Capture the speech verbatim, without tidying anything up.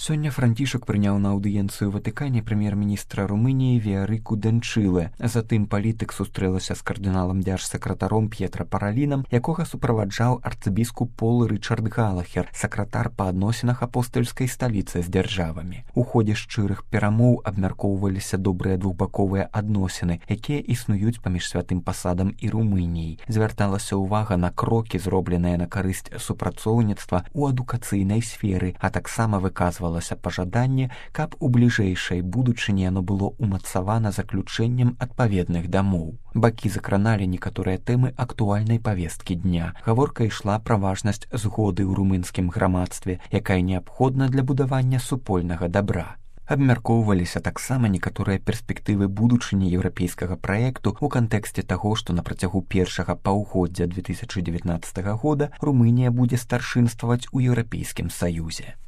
Сёння Францішак прыняў на аўдыенцыю Ватыкане прэм'ер-міністра Румыніі Віарыку Данчылэ. Затым палітык сустрэлася з кардыналам дзяржсакратаром П'етра Паралінам, якога суправаджаў арцыбіскуп Пол Рычард Галахер, сакратар па адносінах апостальскай сталіцы з дзяржавамі. У ходзе шчырых перамоў абмяркоўваліся добрыя двухбаковыя адносіны, якія існуюць паміж святым пасадам і Румыніяй. Звярталася ўвага на крокі, зробленыя на карысць супрацоўніцтва ў адукацыйнай сферы, а таксама выказвалася пажаданне, каб у бліжэйшай будучыні яно было ўмацавана заключэннем адпаведных дамоў. Бакі закраналі некаторыя тэмы актуальнай павесткі дня. Гаворка ішла пра важнасць згоды ў румынскім грамадстве, якая неабходна для будавання супольнага дабра. Абмяркоўваліся таксама некаторыя перспектывы будучыні еўрапейскага праекту ў кантэксце таго, што на працягу першага паўгоддзя две тысячы дзевятнаццатага года Румынія будзе старшынстваваць у Еўрапейскім Саюзе.